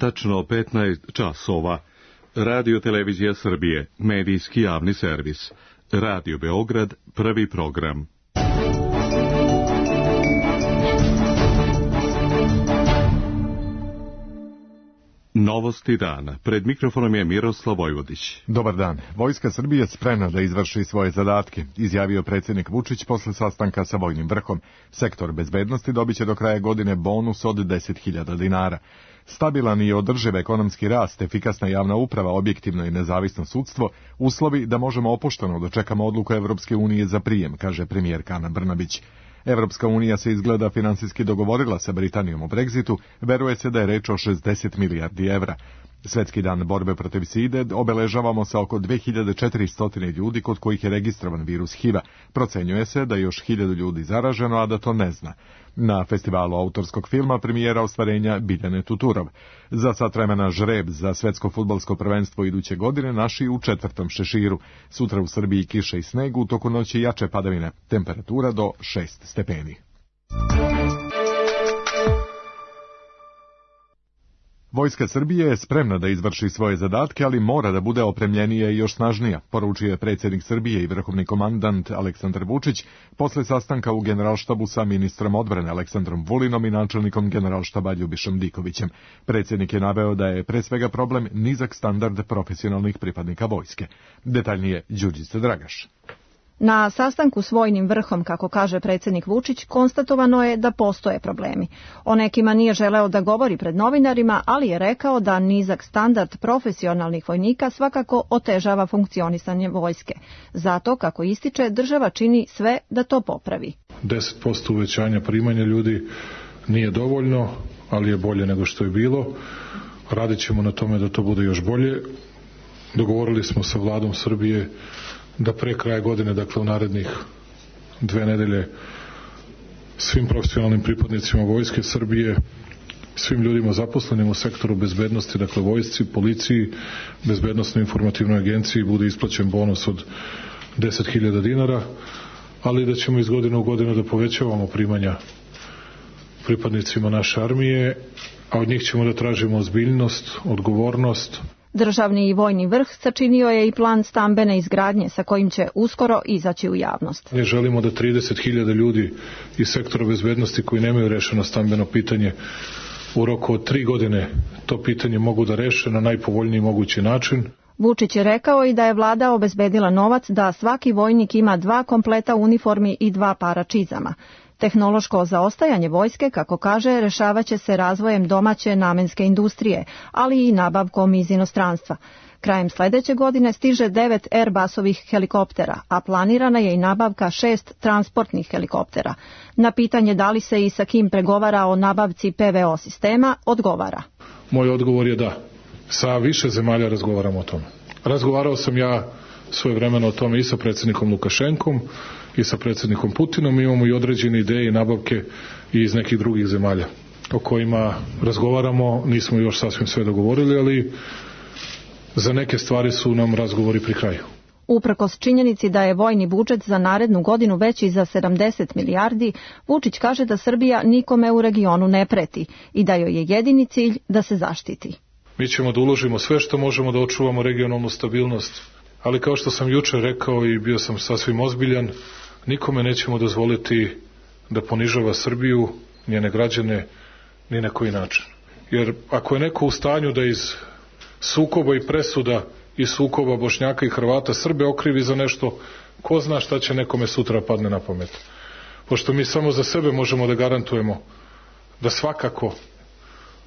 tačno 15 časova. Radio Televizija Srbije, medijski javni servis. Radio Beograd, prvi program. Novosti dana. Pred mikrofonom je Miroslav Vojvodić. Dobar dan. Vojska Srbije spremna da izvrši svoje zadatke, izjavio predsjednik Vučić posle sastanka sa vojnim vrhom. Sektor bezbednosti dobiće do kraja godine bonus od 10.000 dinara. Stabilan i održiv ekonomski rast, efikasna javna uprava, objektivno i nezavisno sudstvo, uslovi da možemo opušteno dočekamo odluku Evropske unije za prijem, kaže premijerka Ana Brnabić. Evropska unija se izgleda finansijski dogovorila sa Britanijom o Brexitu, veruje se da je reč o 60 milijardi evra. Svetski dan borbe protiv side obeležavamo sa oko 2400 ljudi kod kojih je registrovan virus HIV-a. Procenjuje se da je još 1000 ljudi zaraženo, a da to ne zna. Na festivalu autorskog filma premijera ostvarenja Biljane Tuturov. Za sat vremena žreb za svetsko fudbalsko prvenstvo iduće godine naši u 4. šeširu. Sutra u Srbiji kiša i sneg, u toku noći jače padavine. Temperatura do 6 stepeni. Vojska Srbije je spremna da izvrši svoje zadatke, ali mora da bude opremljenija i još snažnija, poručio je predsjednik Srbije i vrhovni komandant Aleksandar Vučić posle sastanka u Generalštabu sa ministrom odbrane Aleksandrom Vulinom i načelnikom Generalštaba Ljubišom Dikovićem. Predsjednik je naveo da je pre svega problem nizak standard profesionalnih pripadnika vojske. Detaljnije Đurđica Dragaš. Na sastanku s vojnim vrhom, kako kaže predsjednik Vučić, konstatovano je da postoje problemi. O nekima nije želeo da govori pred novinarima, ali je rekao da nizak standard profesionalnih vojnika svakako otežava funkcionisanje vojske. Zato, kako ističe, država čini sve da to popravi. 10% uvećanja primanja ljudi nije dovoljno, ali je bolje nego što je bilo. Radit ćemo na tome da to bude još bolje. Dogovorili smo sa vladom Srbije da pre kraja godine, dakle u narednih 2 nedelje, svim profesionalnim pripadnicima Vojske Srbije, svim ljudima zaposlenim u sektoru bezbednosti, dakle vojsci, policiji, bezbednosnoj informativnoj agenciji, bude isplaćen bonus od 10.000 dinara, ali da ćemo iz godine u godinu da povećavamo primanja pripadnicima naše armije, a od njih ćemo da tražimo ozbiljnost, odgovornost. Državni i vojni vrh sačinio je i plan stambene izgradnje sa kojim će uskoro izaći u javnost. Ne želimo da 30.000 ljudi iz sektora bezbednosti koji nemaju rešeno stambeno pitanje u roku od 3 godine to pitanje mogu da reše na najpovoljniji mogući način. Vučić je rekao i da je vlada obezbedila novac da svaki vojnik ima 2 kompleta uniformi i 2 para čizama. Tehnološko zaostajanje vojske, kako kaže, rešavaće se razvojem domaće namenske industrije, ali i nabavkom iz inostranstva. Krajem sledeće godine stiže 9 Airbusovih helikoptera, a planirana je i nabavka 6 transportnih helikoptera. Na pitanje da li se i sa kim pregovara o nabavci PVO sistema, odgovara. Moj odgovor je da. Sa više zemalja razgovaramo o tome. Razgovarao sam ja svojevremeno o tome i sa predsjednikom Lukašenkom i sa predsjednikom Putinom. Imamo i određene ideje i nabavke i iz nekih drugih zemalja o kojima razgovaramo. Nismo još sasvim sve dogovorili, ali za neke stvari su nam razgovori pri kraju. Uprkos činjenici da je vojni budžet za narednu godinu veći za 70 milijardi, Vučić kaže da Srbija nikome u regionu ne preti i da joj je jedini cilj da se zaštiti. Mi ćemo da uložimo sve što možemo da očuvamo regionalnu stabilnost, ali kao što sam juče rekao i bio sam sasvim ozbiljan, nikome nećemo dozvoliti da ponižava Srbiju, njene građane, ni na koji način. Jer ako je neko u stanju da iz sukoba i presuda i sukoba Bošnjaka i Hrvata Srbe okrivi za nešto, ko zna šta će nekome sutra padne na pamet. Pošto mi samo za sebe možemo da garantujemo da svakako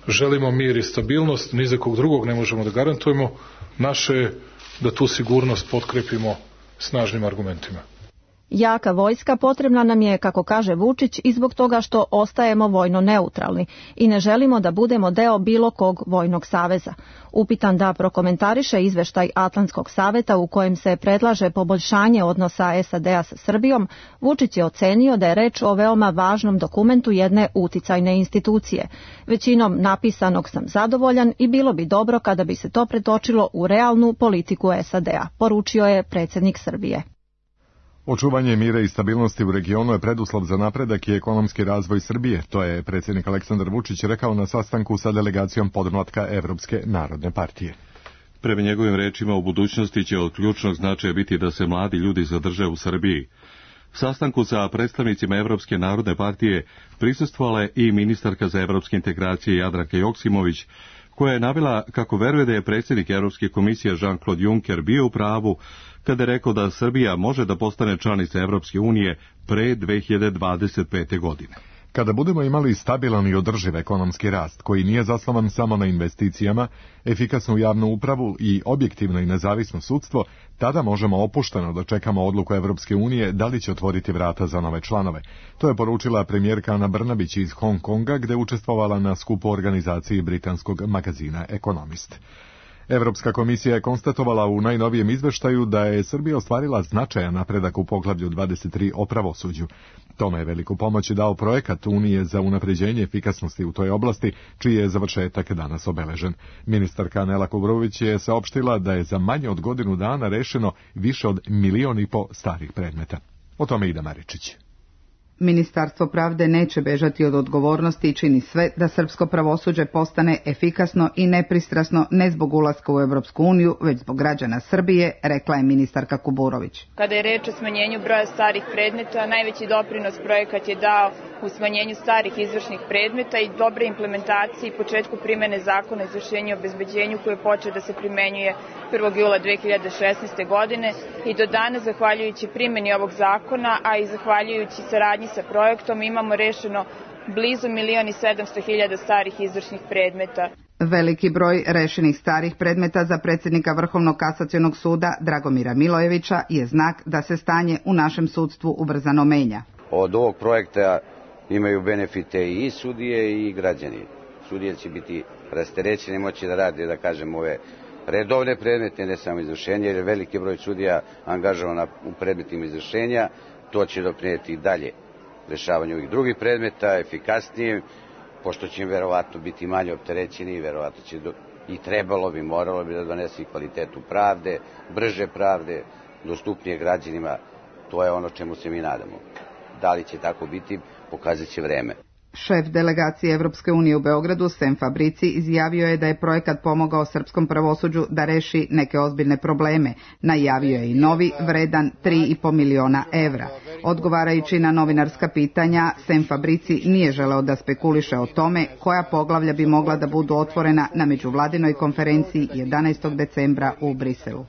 želimo mir i stabilnost, ni za kog drugog ne možemo da garantujemo, naše je da tu sigurnost potkrepimo snažnim argumentima. Jaka vojska potrebna nam je, kako kaže Vučić, i zbog toga što ostajemo vojno neutralni i ne želimo da budemo deo bilo kog vojnog saveza. Upitan da prokomentariše izveštaj Atlantskog saveta u kojem se predlaže poboljšanje odnosa SAD-a sa Srbijom, Vučić je ocenio da je reč o veoma važnom dokumentu jedne uticajne institucije. Većinom napisanog sam zadovoljan i bilo bi dobro kada bi se to pretočilo u realnu politiku SAD-a, poručio je predsjednik Srbije. Očuvanje mira i stabilnosti u regionu je preduslov za napredak i ekonomski razvoj Srbije. To je predsjednik Aleksandar Vučić rekao na sastanku sa delegacijom podmlatka Evropske narodne partije. Prema njegovim rečima, u budućnosti će od ključnog značaja biti da se mladi ljudi zadrže u Srbiji. Sastanku sa predstavnicima Evropske narodne partije prisustvovala je i ministarka za evropske integracije Jadranka Joksimović, koja je navela kako veruje da je predsjednik Evropske komisije Jean-Claude Juncker bio u pravu kada je rekao da Srbija može da postane članica Evropske unije pre 2025. godine. Kada budemo imali stabilan i održiv ekonomski rast, koji nije zasnovan samo na investicijama, efikasnu javnu upravu i objektivno i nezavisno sudstvo, tada možemo opušteno da čekamo odluku Evropske unije da li će otvoriti vrata za nove članove. To je poručila premijerka Ana Brnabić iz Hong Konga, gde učestvovala na skupu organizaciji britanskog magazina Economist. Evropska komisija je konstatovala u najnovijem izveštaju da je Srbija ostvarila značajan napredak u poglavlju 23 o pravosuđu. Tome je veliku pomoć dao projekat Unije za unapređenje efikasnosti u toj oblasti, čiji je završetak danas obeležen. Ministarka Nela Kuburović je saopštila da je za manje od godinu dana rešeno više od 1,5 miliona starih predmeta. O tome Ida Maričić. Ministarstvo pravde neće bežati od odgovornosti i čini sve da srpsko pravosuđe postane efikasno i nepristrasno ne zbog ulaska u Evropsku uniju, već zbog građana Srbije, rekla je ministarka Kuburović. Kada je reč o smanjenju broja starih predmeta, najveći doprinos projekat je dao u smanjenju starih izvršnih predmeta i dobre implementacije i početku primene zakona o izvršenju i obezbeđenju koji je počeo da se primenjuje 1. jula 2016. godine i do danas, zahvaljujući primjeni ovog zakona, a i zahvaljujući saradnji sa projektom, imamo rešeno blizu 1.700.000 starih izvršnih predmeta. Veliki broj rešenih starih predmeta za predsjednika Vrhovnog kasacionog suda Dragomira Milojevića je znak da se stanje u našem sudstvu ubrzano menja. Od ovog projekta imaju benefite i sudije i građani. Sudije će biti rasterećeni, moći da rade, da kažem, ove redovne predmete, ne samo izvršenje, jer je veliki broj sudija angažovan u predmetima izvršenja. To će doprinijeti dalje rešavanju ovih drugih predmeta, efikasnije, pošto će im verovatno biti manje opterećeni, verovatno će i trebalo bi, moralo bi da donese i kvalitetu pravde, brže pravde, dostupnije građanima. To je ono čemu se mi nadamo. Da li će tako biti, pokazat će vreme. Šef delegacije Evropske unije u Beogradu, Sem Fabrici, izjavio je da je projekat pomogao srpskom pravosuđu da reši neke ozbiljne probleme. Najavio je i novi, vredan 3,5 miliona evra. Odgovarajući na novinarska pitanja, Sem Fabrici nije želeo da spekuliše o tome koja poglavlja bi mogla da budu otvorena na međuvladinoj konferenciji 11. decembra u Briselu.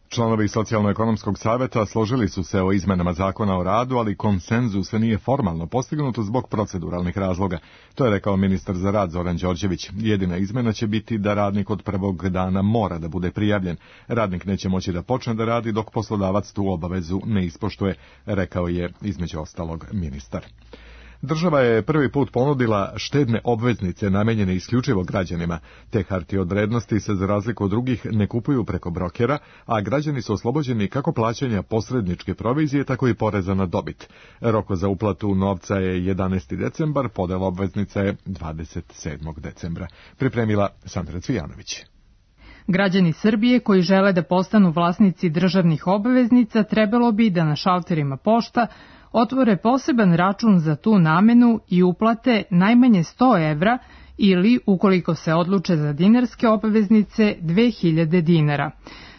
Članovi Socijalno-ekonomskog saveta složili su se o izmenama zakona o radu, ali konsenzus nije formalno postignut zbog proceduralnih razloga. To je rekao ministar za rad Zoran Đorđević. Jedina izmena će biti da radnik od prvog dana mora da bude prijavljen. Radnik neće moći da počne da radi dok poslodavac tu obavezu ne ispoštuje, rekao je između ostalog ministar. Država je prvi put ponudila štedne obveznice namenjene isključivo građanima. Te hartije od vrednosti se za razliku od drugih ne kupuju preko brokera, a građani su oslobođeni kako plaćanja posredničke provizije, tako i poreza na dobit. Rok za uplatu novca je 11. decembar, podela obveznica je 27. decembra. Pripremila Sandra Cvijanović. Građani Srbije koji žele da postanu vlasnici državnih obveznica trebalo bi da na šalterima pošta otvore poseban račun za tu namenu i uplate najmanje 100 evra ili, ukoliko se odluče za dinarske obveznice, 2000 dinara.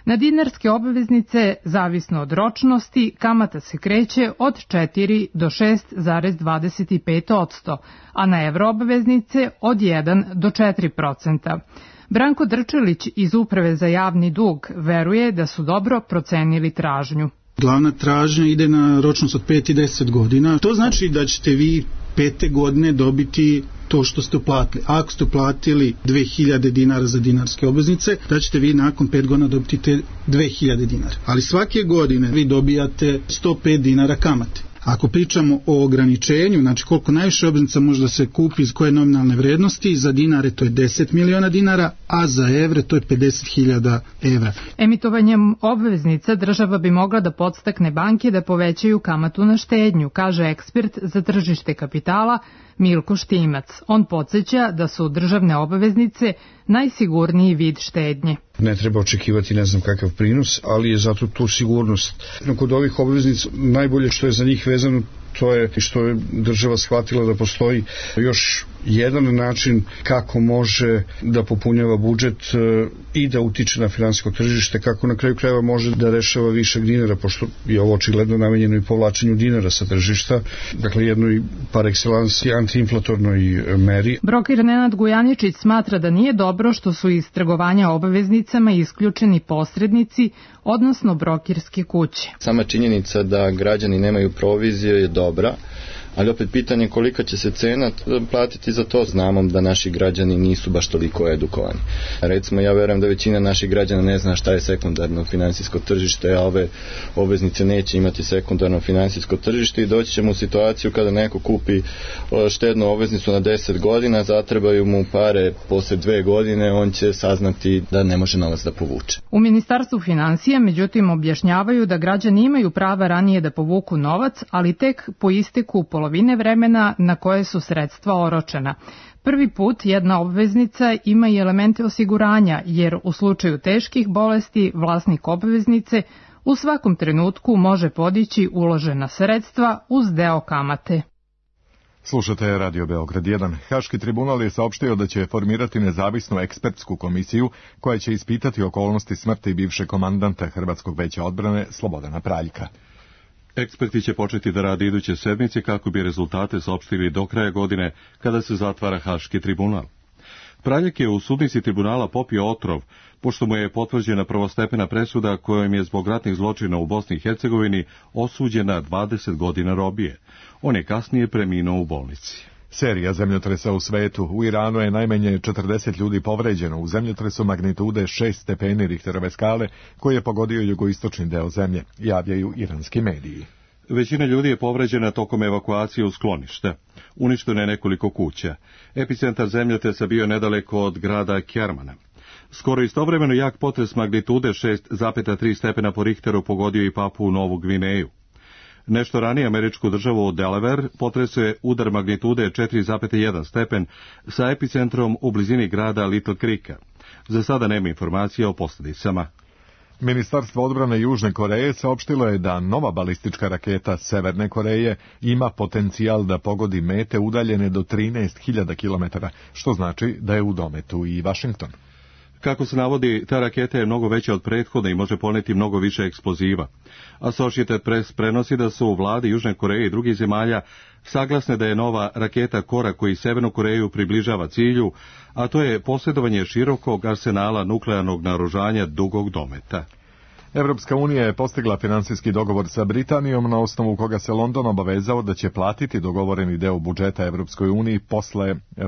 Na dinarske obveznice, zavisno od ročnosti, kamata se kreće od 4 do 6,25%, a na evro obveznice od 1 do 4%. Branko Drčelić iz Uprave za javni dug veruje da su dobro procenili tražnju. Glavna tražnja ide na ročnost od 5 i 10 godina. To znači da ćete vi 5. godine dobiti to što ste uplatili. Ako ste uplatili 2000 dinara za dinarske obveznice, da ćete vi nakon 5 godina dobiti te 2000 dinara. Ali svake godine vi dobijate 105 dinara kamate. Ako pričamo o ograničenju, znači koliko najviše obveznica može da se kupi iz koje nominalne vrednosti, za dinare to je 10 miliona dinara, a za evre to je 50.000 evra. Emitovanjem obveznica država bi mogla da podstakne banke da povećaju kamatu na štednju, kaže ekspert za tržište kapitala Milko Štimac. On podsjeća da su državne obveznice najsigurniji vid štednje. Ne treba očekivati ne znam kakav prinos, ali je zato tu sigurnost. Kod ovih obveznica najbolje što je za njih vezano to je što je država shvatila da postoji još jedan način kako može da popunjava budžet i da utiče na finansijsko tržište, kako na kraju krajeva može da rešava višak dinara, pošto je ovo očigledno namenjeno i povlačenju dinara sa tržišta, dakle jednoj par excellence antiinflatornoj meri. Broker Nenad Gujaničić smatra da nije dobro što su iz trgovanja obveznicama isključeni posrednici, odnosno brokirske kuće. Sama činjenica da građani nemaju provizije je dobra, ali opet pitanje kolika će se cena platiti za to. Znamo da naši građani nisu baš toliko edukovani. Recimo, ja verujem da većina naših građana ne zna šta je sekundarno finansijsko tržište, a ove obveznice neće imati sekundarno finansijsko tržište i doći ćemo u situaciju kada neko kupi štednu obveznicu na 10 godina, zatrebaju mu pare posle 2 godine, on će saznati da ne može novac da povuče. U Ministarstvu finansija, međutim, objašnjavaju da građani imaju prava ranije da povuku novac, ali tek po isteku polovine vremena na koje su sredstva oročena. Prvi put jedna obveznica ima i elemente osiguranja, jer u slučaju teških bolesti vlasnik obveznice u svakom trenutku može podići uložena sredstva uz deo kamate. Slušate Radio Beograd 1. Haški tribunal je saopštio da će formirati nezavisnu ekspertsku komisiju koja će ispitati okolnosti smrti bivšeg komandanta Hrvatskog veća odbrane Slobodana Praljka. Eksperti će početi da rade iduće sedmice kako bi rezultate saopštili do kraja godine kada se zatvara Haški tribunal. Praljak je u sudnici tribunala popio otrov, pošto mu je potvrđena prvostepena presuda kojom je zbog ratnih zločina u Bosni i Hercegovini osuđena 20 godina robije. On je kasnije preminuo u bolnici. Serija zemljotresa u svetu. U Iranu je najmanje 40 ljudi povređeno u zemljotresu magnitude 6 stepeni Richterove skale koji je pogodio jugoistočni deo zemlje, javljaju iranski mediji. Većina ljudi je povređena tokom evakuacije u sklonište. Uništeno je nekoliko kuća. Epicentar zemljotresa bio nedaleko od grada Kermana. Skoro istovremeno jak potres magnitude 6,3 stepena po Richteru pogodio i Papuu Novu Gvineju. Nešto ranije američku državu Delaware potresao je udar magnitude 4,1 stepen sa epicentrom u blizini grada Little Creeka. Za sada nema informacija o posljedicama. Ministarstvo odbrane Južne Koreje saopštilo je da nova balistička raketa Severne Koreje ima potencijal da pogodi mete udaljene do 13.000 km, što znači da je u dometu i Vašington. Kako se navodi, ta raketa je mnogo veća od prethodne i može poneti mnogo više eksploziva. Associated Press prenosi da su vlade Južne Koreje i drugih zemalja saglasne da je nova raketa korak koji Severnu Koreju približava cilju, a to je posjedovanje širokog arsenala nuklearnog naoružanja dugog dometa. Evropska unija je postigla finansijski dogovor sa Britanijom na osnovu koga se London obavezao da će platiti dogovoreni deo budžeta Evropskoj uniji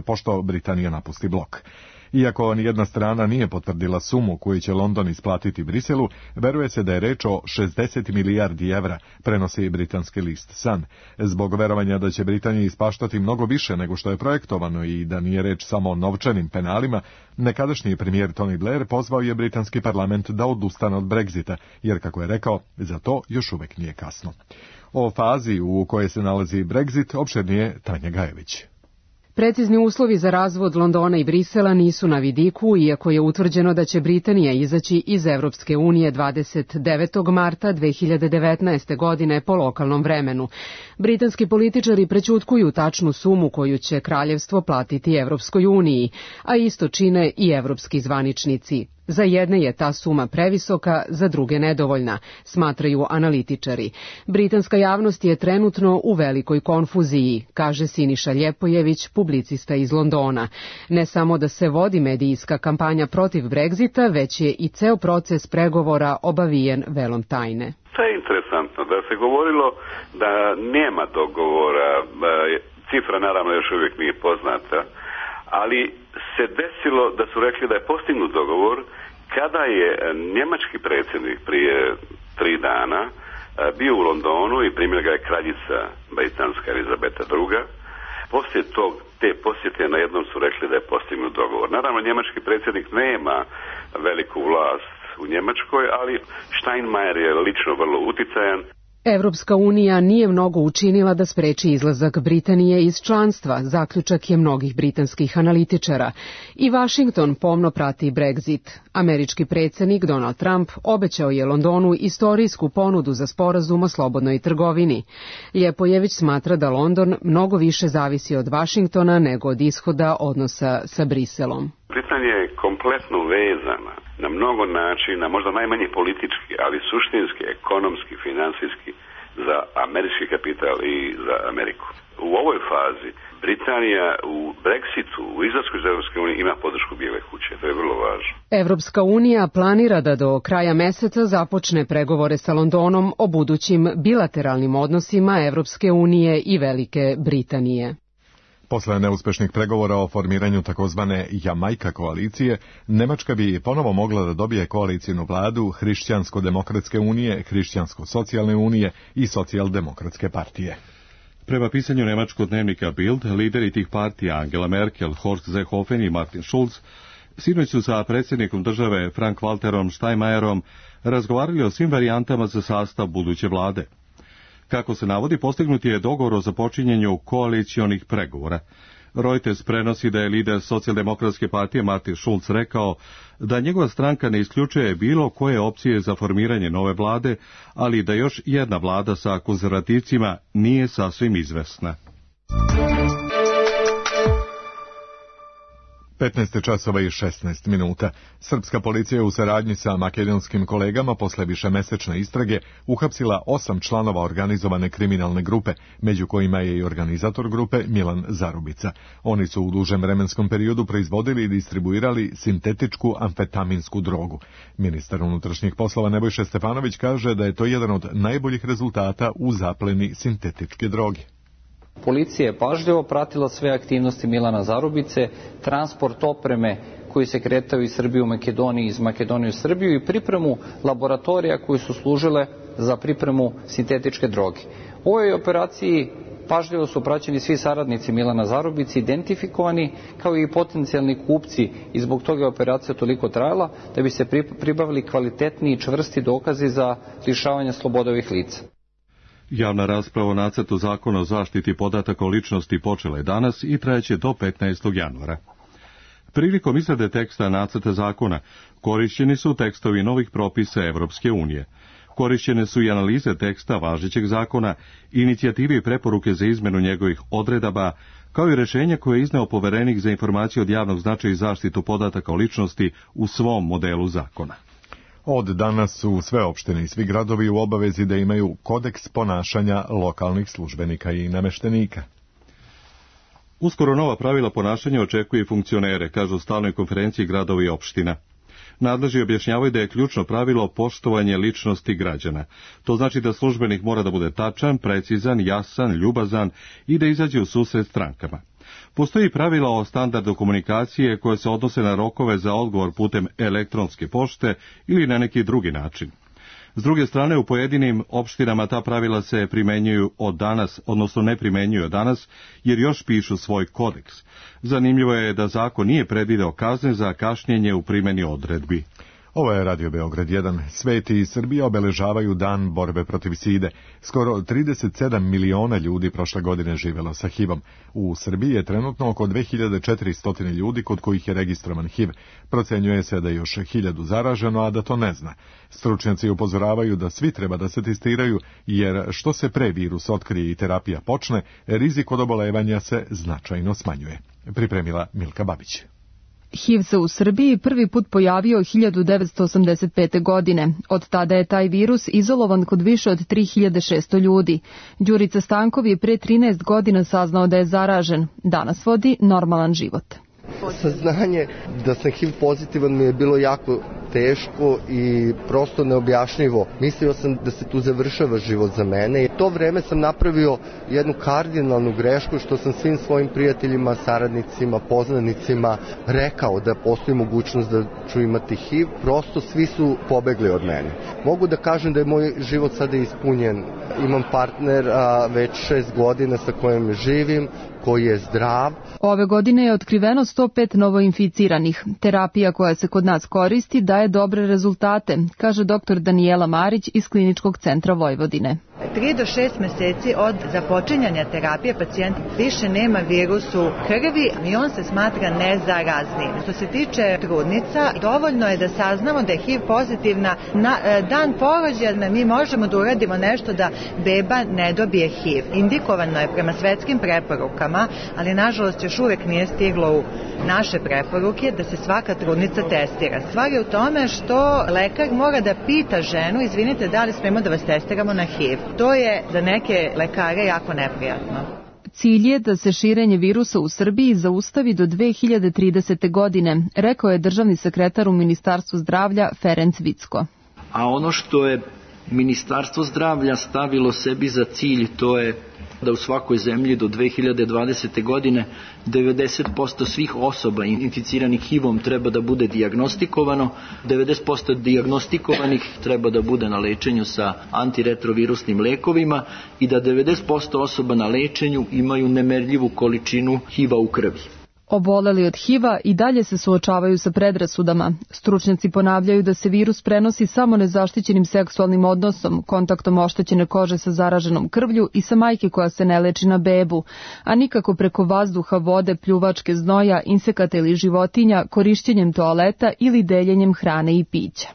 pošto Britanija napusti blok. Iako nijedna strana nije potvrdila sumu koju će London isplatiti Briselu, veruje se da je reč o 60 milijardi evra, prenosi britanski list Sun. Zbog verovanja da će Britanija ispaštati mnogo više nego što je projektovano i da nije reč samo o novčanim penalima, nekadašnji premijer Tony Blair pozvao je britanski parlament da odustane od Brexita, jer, kako je rekao, za to još uvek nije kasno. O fazi u kojoj se nalazi Brexit opširnije Tanja Gajević. Precizni uslovi za razvod Londona i Brisela nisu na vidiku, iako je utvrđeno da će Britanija izaći iz Evropske unije 29. marta 2019. godine po lokalnom vremenu. Britanski političari prećutkuju tačnu sumu koju će kraljevstvo platiti Evropskoj uniji, a isto čine i evropski zvaničnici. Za jedne je ta suma previsoka, za druge nedovoljna, smatraju analitičari. Britanska javnost je trenutno u velikoj konfuziji, kaže Siniša Ljepojević, publicista iz Londona. Ne samo da se vodi medijska kampanja protiv Brexita, već je i ceo proces pregovora obavijen velom tajne. To je interesantno da se govorilo da nema dogovora, cifra naravno još uvijek nije poznata, ali se desilo da su rekli da je postignut dogovor kada je njemački predsjednik prije 3 dana bio u Londonu i primila ga je kraljica britanska Elizabeta II. Poslije te posjete najednom su rekli da je postignut dogovor. Naravno, njemački predsjednik nema veliku vlast u Njemačkoj, ali Steinmeier je lično vrlo uticajan. Evropska unija nije mnogo učinila da spreči izlazak Britanije iz članstva, zaključak je mnogih britanskih analitičara. I Washington pomno prati Brexit. Američki predsjednik Donald Trump obećao je Londonu istorijsku ponudu za sporazum o slobodnoj trgovini. Ljepojević smatra da London mnogo više zavisi od Washingtona nego od ishoda odnosa sa Briselom. Britanija je kompletno vezana na mnogo načina, možda najmanje politički, ali suštinski, ekonomski, finansijski za američki kapital i za Ameriku. U ovoj fazi Britanija u Brexitu, u izlasku iz Evropske unije ima podršku Bijele kuće, to je vrlo važno. Evropska unija planira da do kraja meseca započne pregovore sa Londonom o budućim bilateralnim odnosima Evropske unije i Velike Britanije. Posle neuspešnih pregovora o formiranju takozvane Jamajka koalicije, Nemačka bi ponovo mogla da dobije koalicijnu vladu Hrišćansko-demokratske unije, Hrišćansko-socijalne unije i Socijaldemokratske partije. Prema pisanju nemačkog dnevnika Bild, lideri tih partija Angela Merkel, Horst Seehofen i Martin Schulz sinoć su sa predsjednikom države Frank-Walterom Steinmeierom razgovarali o svim varijantama za sastav buduće vlade. Kako se navodi, postignut je dogovor o započinjenju koalicionih pregovora. Reuters prenosi da je lider Socijaldemokratske partije Martin Schulz rekao da njegova stranka ne isključuje bilo koje opcije za formiranje nove vlade, ali da još jedna vlada sa konzervativcima nije sasvim izvesna. 15 časova i 16 minuta. Srpska policija u saradnji sa makedonskim kolegama posle višemesečne istrage uhapsila 8 članova organizovane kriminalne grupe, među kojima je i organizator grupe Milan Zarubica. Oni su u dužem vremenskom periodu proizvodili i distribuirali sintetičku amfetaminsku drogu. Ministar unutrašnjih poslova Nebojša Stefanović kaže da je to jedan od najboljih rezultata u zapleni sintetičke droge. Policija je pažljivo pratila sve aktivnosti Milana Zarubice, transport opreme koji se kretao iz Srbije u Makedoniji, iz Makedonije u Srbiju i pripremu laboratorija koji su služile za pripremu sintetičke droge. U ovoj operaciji pažljivo su praćeni svi saradnici Milana Zarubice, identifikovani kao i potencijalni kupci i zbog toga je operacija toliko trajala da bi se pribavili kvalitetni i čvrsti dokazi za lišavanje slobode ovih lica. Javna rasprava o nacrtu zakona o zaštiti podataka o ličnosti počela je danas i trajeće do 15. januara. Prilikom izrade teksta nacrta zakona korišćeni su tekstovi novih propisa Evropske unije. Korišćene su i analize teksta važećeg zakona, inicijativi i preporuke za izmenu njegovih odredaba, kao i rješenje koje je izneo poverenik za informacije od javnog značaja i zaštitu podataka o ličnosti u svom modelu zakona. Od danas su sve opštine i svi gradovi u obavezi da imaju kodeks ponašanja lokalnih službenika i nameštenika. Uskoro nova pravila ponašanja očekuje i funkcionere, kažu u stalnoj konferenciji gradova i opština. Nadležni objašnjavaju da je ključno pravilo poštovanje ličnosti građana. To znači da službenik mora da bude tačan, precizan, jasan, ljubazan i da izađe u susret strankama. Postoji pravila o standardu komunikacije koje se odnose na rokove za odgovor putem elektronske pošte ili na neki drugi način. S druge strane, u pojedinim opštinama ta pravila se primenjuju od danas, odnosno ne primenjuju od danas, jer još pišu svoj kodeks. Zanimljivo je da zakon nije predvideo kazne za kašnjenje u primjeni odredbi. Ovo je Radio Beograd 1. Sveti i Srbija obeležavaju dan borbe protiv side. Skoro 37 miliona ljudi prošle godine živelo sa HIV-om. U Srbiji je trenutno oko 2400 ljudi kod kojih je registrovan HIV. Procenjuje se da je još 1000 zaraženo, a da to ne zna. Stručnjaci upozoravaju da svi treba da se testiraju, jer što se pre virus otkrije i terapija počne, rizik od obolevanja se značajno smanjuje. Pripremila Milka Babić. HIV se u Srbiji prvi put pojavio 1985. godine. Od tada je taj virus izolovan kod više od 3600 ljudi. Đurica Stankov je pre 13 godina saznao da je zaražen. Danas vodi normalan život. Saznanje da sam HIV pozitivan mi je bilo jako teško i prosto neobjašnjivo. Mislio sam da se tu završava život za mene. I to vreme sam napravio jednu kardinalnu grešku što sam svim svojim prijateljima, saradnicima, poznanicima rekao da postoji mogućnost da ću imati HIV. Prosto svi su pobegli od mene. Mogu da kažem da je moj život sada ispunjen. Imam partnera već 6 godina sa kojim živim, koji je zdrav. Ove godine je otkriveno 105 novoinficiranih. Terapija koja se kod nas koristi daje dobre rezultate, kaže dr. Danijela Marić iz Kliničkog centra Vojvodine. 3 do 6 meseci od započinjanja terapije pacijent više nema virus u krvi i on se smatra nezaraznim. Što se tiče trudnica, dovoljno je da saznamo da je HIV pozitivna na dan porođaja. Mi možemo da uradimo nešto da beba ne dobije HIV. Indikovano je prema svetskim preporukama, ali nažalost još uvek nije stiglo u naše preporuke da se svaka trudnica testira. Stvar je u tome što lekar mora da pita ženu, izvinite, da li smemo da vas testiramo na HIV. To je za neke lekare jako neprijatno. Cilj je da se širenje virusa u Srbiji zaustavi do 2030. godine, rekao je državni sekretar u Ministarstvu zdravlja Ferenc Vicko. A ono što je Ministarstvo zdravlja stavilo sebi za cilj, to je da u svakoj zemlji do 2020. godine 90% svih osoba inficiranih HIV-om treba da bude dijagnostikovano, 90% dijagnostikovanih treba da bude na lečenju sa antiretrovirusnim lekovima i da 90% osoba na lečenju imaju nemerljivu količinu HIV-a u krvi. Oboleli od HIV-a i dalje se suočavaju sa predrasudama. Stručnjaci ponavljaju da se virus prenosi samo nezaštićenim seksualnim odnosom, kontaktom oštećene kože sa zaraženom krvlju i sa majke koja se ne leči na bebu, a nikako preko vazduha, vode, pljuvačke, znoja, insekata ili životinja, korišćenjem toaleta ili deljenjem hrane i pića.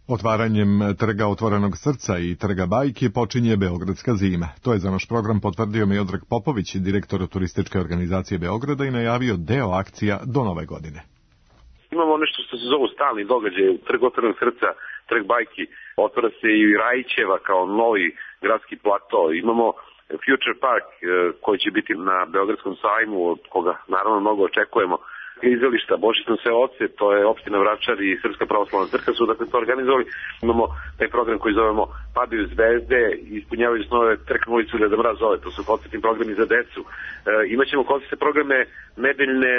Otvaranjem trga Otvorenog srca i trga Bajki počinje Beogradska zima. To je za naš program potvrdio Miodrag Popović, direktor turističke organizacije Beograda, i najavio deo akcija do nove godine. Imamo nešto što se zove stalni događaj, trg Otvorenog srca, trg Bajki, otvara se i Rajićeva kao novi gradski plato. Imamo Future Park koji će biti na Beogradskom sajmu, od koga naravno mnogo očekujemo. Izvelišta, Božićno seoce, to je opština Vračar i Srpska pravoslavna crkva su dakle to organizovali. Imamo taj program koji zovemo Padaju zvezde, ispunjavaju snove, trknu ulicu Deda Mraz zove, to su koncertni programi za decu. Imaćemo koncertne programe nedeljne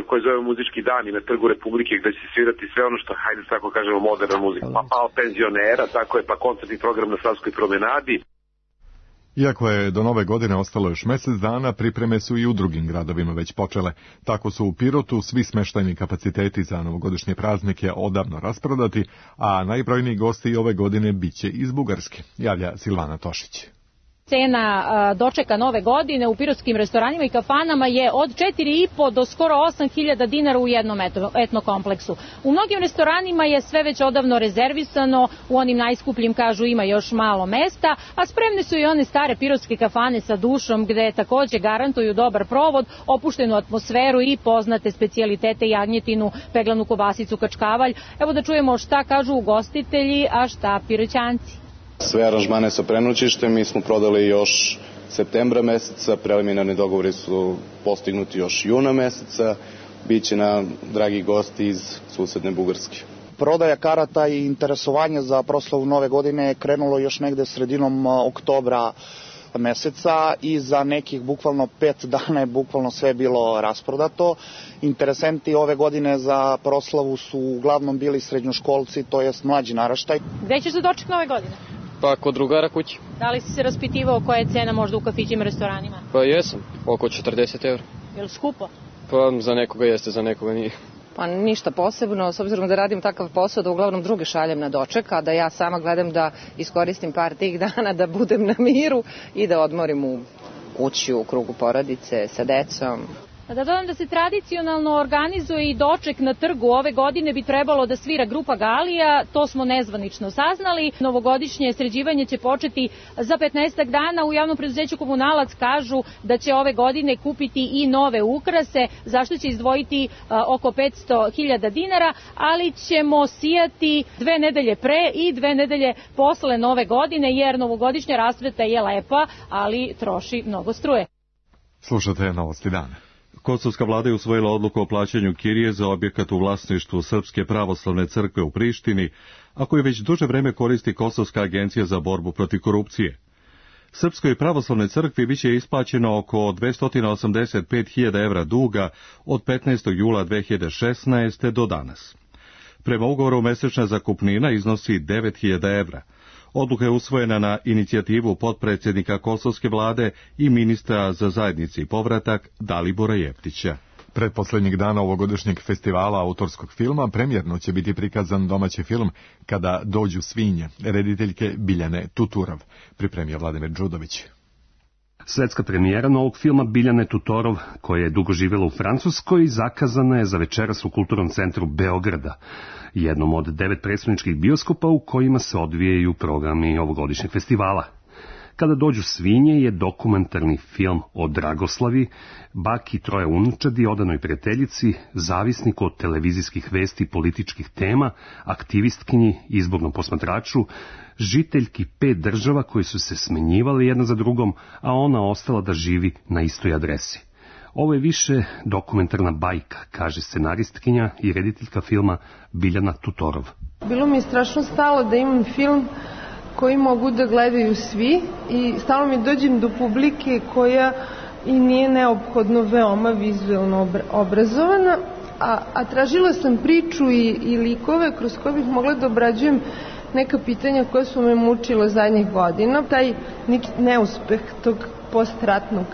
koje zovemo Muzički dani na Trgu Republike, gde će se svirati sve ono što, hajde tako kažemo, moderna muzika. Pa penzionera, tako je, pa koncertni program na Savskoj promenadi. Iako je do nove godine ostalo još mesec dana, pripreme su i u drugim gradovima već počele. Tako su u Pirotu svi smeštajni kapaciteti za novogodišnje praznike odavno rasprodati, a najbrojniji gosti ove godine biće iz Bugarske, javlja Silvana Tošić. Cena dočeka nove godine u pirotskim restoranima i kafanama je od 4,5 do skoro 8.000 dinara u jednom etnokompleksu. U mnogim restoranima je sve već odavno rezervisano, u onim najskupljim kažu ima još malo mesta, a spremne su i one stare pirotske kafane sa dušom gde takođe garantuju dobar provod, opuštenu atmosferu i poznate specijalitete, jagnjetinu, peglanu kobasicu, kačkavalj. Evo da čujemo šta kažu ugostitelji, a šta piroćanci. Sve aranžmane sa prenoćištem mi smo prodali još septembra meseca, preliminarni dogovori su postignuti još juna meseca, biće na dragi gosti iz susedne Bugarske. Prodaja karata i interesovanje za proslavu nove godine je krenulo još negde sredinom oktobra meseca i za nekih bukvalno 5 dana je bukvalno sve bilo rasprodato. Interesenti ove godine za proslavu su uglavnom bili srednjoškolci, to jest mlađi naraštaj. Gde ćeš za doček nove godine? Pa kod drugara kući. Da li si se raspitivao koja je cena možda u kafićima, restoranima? Pa jesam, oko 40 €. Je li skupo? Pa za nekoga jeste, za nekoga nije. Pa ništa posebno, s obzirom da radim takav posao da uglavnom druge šaljem na doček, a da ja sama gledam da iskoristim par tih dana da budem na miru i da odmorim u kući, u krugu porodice, sa decom. Da dodam da se tradicionalno organizuje i doček na trgu. Ove godine bi trebalo da svira grupa Galija, to smo nezvanično saznali. Novogodišnje sređivanje će početi za 15 dana. U javnom preduzeću Komunalac kažu da će ove godine kupiti i nove ukrase, zašto će izdvojiti oko 500.000 dinara, ali ćemo sijati 2 nedelje pre i 2 nedelje posle nove godine, jer novogodišnja rasveta je lepa, ali troši mnogo struje. Slušate Novosti dana. Kosovska vlada je usvojila odluku o plaćanju kirije za objekat u vlasništvu Srpske pravoslavne crkve u Prištini, a koju već duže vreme koristi Kosovska agencija za borbu protiv korupcije. Srpskoj pravoslavnoj crkvi biće isplaćeno oko 285.000 evra duga od 15. jula 2016. do danas. Prema ugovoru mesečna zakupnina iznosi 9.000 evra. Odluka je usvojena na inicijativu potpredsjednika Kosovske vlade i ministra za zajednici i povratak Dalibora Jeftića. Pretposlednjeg dana ovogodišnjeg festivala autorskog filma premijerno će biti prikazan domaći film Kada dođu svinje, rediteljke Biljane Tuturov, pripremio Vladimir Đudović. Svetska premijera novog filma Biljane Tutorov, koja je dugo živjela u Francuskoj, zakazana je za večeras u Kulturnom centru Beograda, jednom od 9 predstavničkih bioskopa u kojima se odvijaju programi ovogodišnjeg festivala. Kada dođu svinje je dokumentarni film o Dragoslavi, baki 3 unučadi, odanoj prijateljici, zavisniku od televizijskih vesti i političkih tema, aktivistkinji, izbornom posmatraču, žiteljki 5 država koje su se smenjivale jedna za drugom, a ona ostala da živi na istoj adresi. Ovo je više dokumentarna bajka, kaže scenaristkinja i rediteljka filma Biljana Tutorov. Bilo mi je strašno stalo da imam film koji mogu da gledaju svi i stalno mi dođem do publike koja i nije neophodno veoma vizuelno obrazovana, a tražila sam priču i likove kroz koje bih mogla da obrađujem neka pitanja koja su me mučila zadnjih godina. Taj neki neuspeh tog postratnog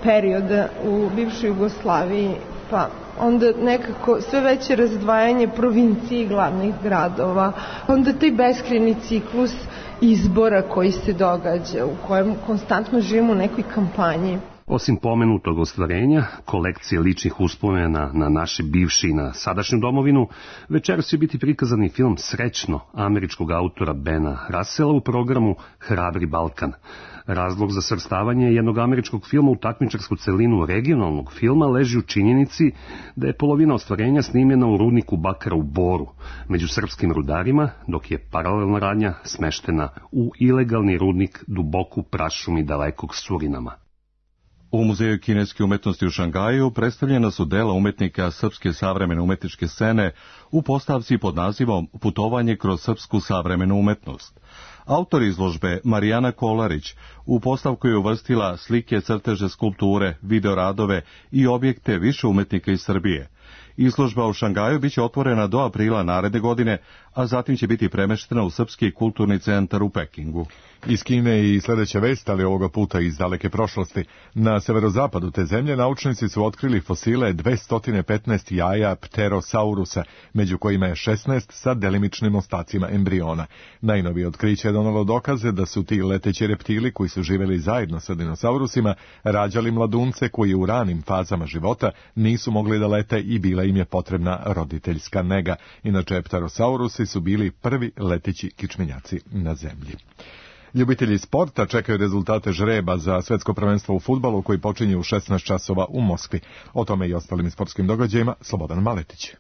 perioda u bivšoj Jugoslaviji, pa onda nekako sve veće razdvajanje provincije i glavnih gradova, onda taj beskrajni ciklus izbora koji se događa, u kojem konstantno živimo u nekoj kampanji. Osim pomenutog ostvarenja, kolekcije ličnih uspomena na naše bivše i na sadašnju domovinu, večeras će biti prikazan i film Srećno američkog autora Bena Russella u programu Hrabri Balkan. Razlog za svrstavanje jednog američkog filma u takmičarsku celinu regionalnog filma leži u činjenici da je polovina ostvarenja snimljena u rudniku bakra u Boru, među srpskim rudarima, dok je paralelna radnja smeštena u ilegalni rudnik duboko u prašumi dalekog Surinama. U Muzeju kineske umetnosti u Šangaju predstavljena su dela umetnika srpske savremene umetničke scene u postavci pod nazivom Putovanje kroz srpsku savremenu umetnost. Autor izložbe Marijana Kolarić u postavku je uvrstila slike, crteže, skulpture, videoradove i objekte više umetnika iz Srbije. Izložba u Šangaju biće otvorena do aprila naredne godine, a zatim će biti premeštena u Srpski kulturni centar u Pekingu. Iz Kine i sljedeća vest, ali ovoga puta iz daleke prošlosti. Na severozapadu te zemlje naučnici su otkrili fosile 215 jaja pterosaurusa, među kojima je 16 sa delimičnim ostacima embriona. Najnovije otkriće je donalo dokaze da su ti leteći reptili koji su živjeli zajedno sa dinosaurusima rađali mladunce koji u ranim fazama života nisu mogli da lete i bila im je potrebna roditeljska nega. Inače, pterosaurusi su bili prvi leteći kičmenjaci na zemlji. Ljubitelji sporta čekaju rezultate žreba za svetsko prvenstvo u fudbalu koji počinje u 16 časova u Moskvi. O tome i ostalim sportskim događajima Slobodan Maletić.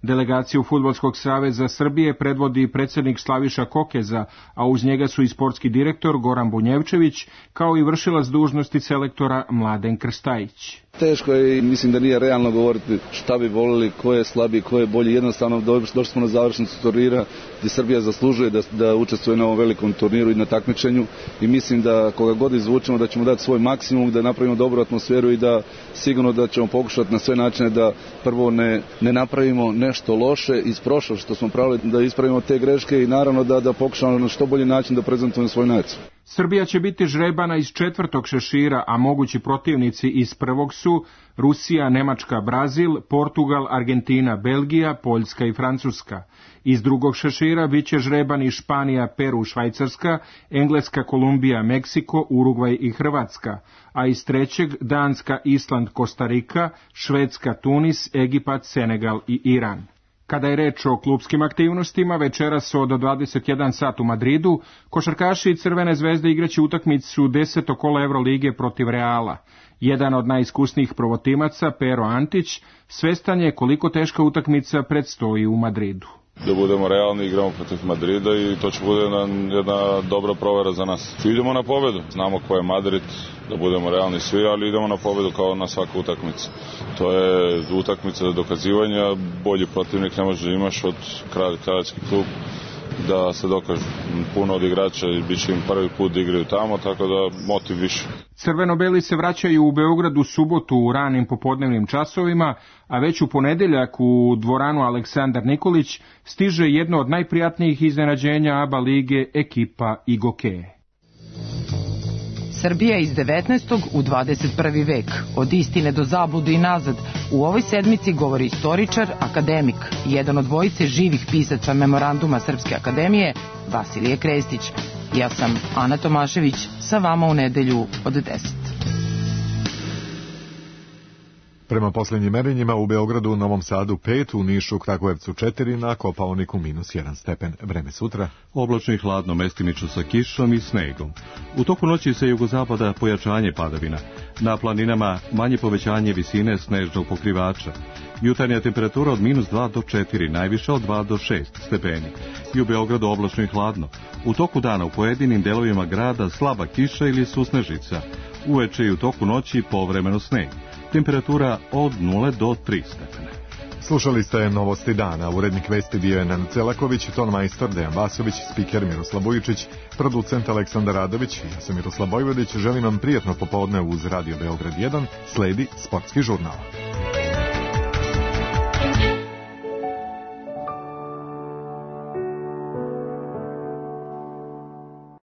Delegaciju Fudbalskog saveza Srbije predvodi predsjednik Slaviša Kokeza, a uz njega su i sportski direktor Goran Bunjevčević, kao i vršilac dužnosti selektora Mladen Krstajić. Teško je i mislim da nije realno govoriti šta bi volili, ko je slabiji, ko je bolji. Jednostavno došli smo na završnicu turnira gdje Srbija zaslužuje da učestvuje na ovom velikom turniru i na takmičenju i mislim da koga god izvučemo da ćemo dati svoj maksimum, da napravimo dobru atmosferu i da sigurno da ćemo pokušati na sve načine da prvo ne napravimo nešto loše iz prošlosti što smo pravili, da ispravimo te greške i naravno da pokušamo na što bolji način da prezentujemo svoju naciju. Srbija će biti žrebana iz 4. šešira, a mogući protivnici iz 1. su Rusija, Nemačka, Brazil, Portugal, Argentina, Belgija, Poljska i Francuska. Iz 2. šešira bit će žrebani Španija, Peru, Švajcarska, Engleska, Kolumbija, Meksiko, Urugvaj i Hrvatska, a iz 3. Danska, Island, Kostarika, Švedska, Tunis, Egipat, Senegal i Iran. Kada je reč o klupskim aktivnostima, večeras od 21 sat u Madridu, košarkaši Crvene zvezde igraće utakmicu 10. kola Evrolige protiv Reala. Jedan od najiskusnijih prvotimaca, Pero Antić, svestan je koliko teška utakmica predstoji u Madridu. Da budemo realni, igramo protiv Madrida i to će bude jedna dobra provera za nas. Idemo na pobedu, znamo ko je Madrid, da budemo realni svi, ali idemo na pobedu kao na svaku utakmicu. To je utakmica dokazivanja, bolji protivnik ne može da imaš od Kraljevski klub da se dokažu. Puno od igrača bit će im prvi put da igraju tamo, tako da motiv više. Crveno-beli se vraćaju u Beograd u subotu u ranim popodnevnim časovima, a već u ponedeljak u dvoranu Aleksandar Nikolić stiže jedno od najprijatnijih iznenađenja ABA lige, ekipa Igokeje. Srbija iz 19. u 21. vek. Od istine do zablude i nazad. U ovoj sedmici govori istoričar, akademik, jedan od dvojice živih pisaca memoranduma Srpske akademije, Vasilije Krestić. Ja sam Ana Tomašević, sa vama u nedelju od 10. Prema posljednjim merenjima u Beogradu, Novom Sadu 5, u Nišu, Kragujevcu 4, na Kopaoniku -1 stepen. Vreme sutra. Oblačno i hladno, mestimično sa kišom i snegom. U toku noći se jugozapada pojačanje padavina. Na planinama manje povećanje visine snežnog pokrivača. Jutarnja temperatura od -2 do 4, najviša od 2 do 6 stepeni. I u Beogradu oblačno i hladno. U toku dana u pojedinim delovima grada slaba kiša ili susnežica. Uveče i u toku noći povremeno sneg. Temperatura od 0 do 3 stepene. Slušali ste novosti dana. Urednik vesti bio je Nenad Celaković, tonmajstor Dejan Vasović, spiker Miroslav Vujičić, producent Aleksandar Radović. Ja sam Miroslav Vojvodić. Želim vam prijatno popodne uz Radio Beograd 1. Sledi sportski žurnal.